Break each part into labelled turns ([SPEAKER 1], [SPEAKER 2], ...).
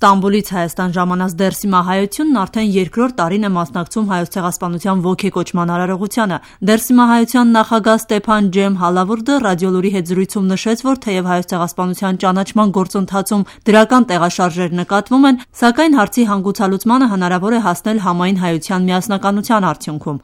[SPEAKER 1] Ստամբուլից Հայաստան ժամանած Դերսիմա հայությունն արդեն երկրորդ տարին է մասնակցում Հայոց ցեղասպանության ոգեկոչման արարողությանը։ Դերսիմա հայության նախագահ Ստեփան Ջեմ Հալավուրդը ռադիոլուրի հետ զրույցում նշեց, որ թեև Հայոց ցեղասպանության ճանաչման գործընթացում դրական տեղաշարժեր նկատվում են, սակայն հարցի հանգուցալուծմանը հնարավոր է հասնել համայն հայության միասնականության արդյունքում։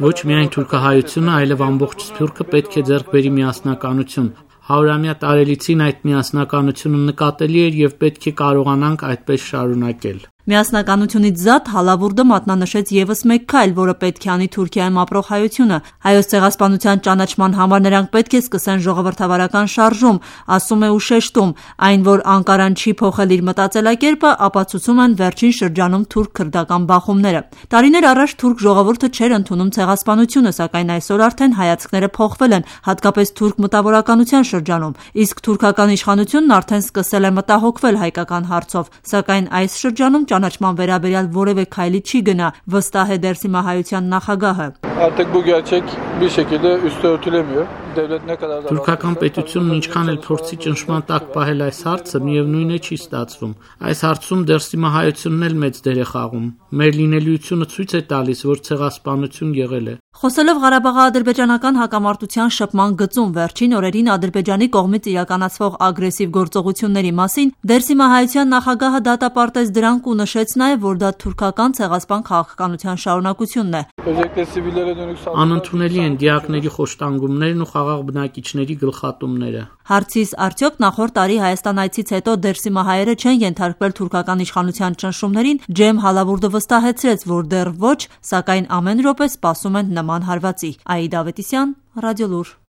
[SPEAKER 2] Ոչ միայն թուրքահայությունը, այլև ամբողջ Սփյուռքը պետք է ձեռք բերի միասնականություն։ 100-ամյա տարելիցին այդ միասնականությունը նկատելի էր եւ պետք է կարողանանք այդպես շարունակել։
[SPEAKER 1] Միասնականությունից զատ Հալավուրդը մատնանշեց եւս մեկ քայլ, որը պետք է անի Թուրքիայում ապրող հայությունը։ Հայոց ցեղասպանության ճանաչման համար նրանք պետք է սկսեն ժողովրդավարական շարժում, ասում է ու շեշտում, այն, որ Անկարան չի փոխել իր մտածելակերպը, ապացուցում են վերջին շրջանում թուրք-քրդական բախումները։ Տարիներ առաջ թուրք ժողովուրդը չէր ընդունում ցեղասպանությունը, սակայն այսօր արդեն հայացքները փոխվել են, հատկապես թուրք մտավորականության շրջանում, իսկ թուրքական իշխանությունն արդեն սկսել է մտահոգվել հայկական հարցով, սակայն այս շրջանում ճանաչման վերաբերյալ որևէ քայլի չի գնա, վստահ է Դերսիմա հայության նախագահը։
[SPEAKER 2] Թուրքական պետությունն ինչքան էլ փորձի ճնշման տակ պահել այս հարցը, միևնույն է չի ստացվում։ Այս հարցում Դերսիմա հայությունն էլ մեծ դեր է խաղում։ Մեր լինելիությունը ցույց է տալիս, որ ցեղասպանություն եղել է։
[SPEAKER 1] Խոսելով Ղարաբաղի-ադրբեջանական հակամարտության շփման գծում վերջին օրերին Ադրբեջանի կողմից իրականացվող ագրեսիվ գործողությունների մասին, Դերսիմա հայության նախագահը դատապարտեց դրանք ու նշեց նաև, որ դա թուրքական ցեղասպան քաղաքականության շարունակությունն է։
[SPEAKER 2] Անընդունելի են դիակների խոշտանգումներն ու խաղաղ բնակիչների գլխատումները։
[SPEAKER 1] Հարցիս արդյոք նախորդ տարի Հայաստան այցից հետո Դերսիմա հայերը չեն ենթարկվել թուրքական իշխանության ճնշումներին, Ջեմ Հալավուրդը վստահեցրեց, որ դեռ ոչ, սակայն ամեն րոպե սպասում են նման հարվածի։ Աիդա Ավետիսյան, Ռադիոլուր։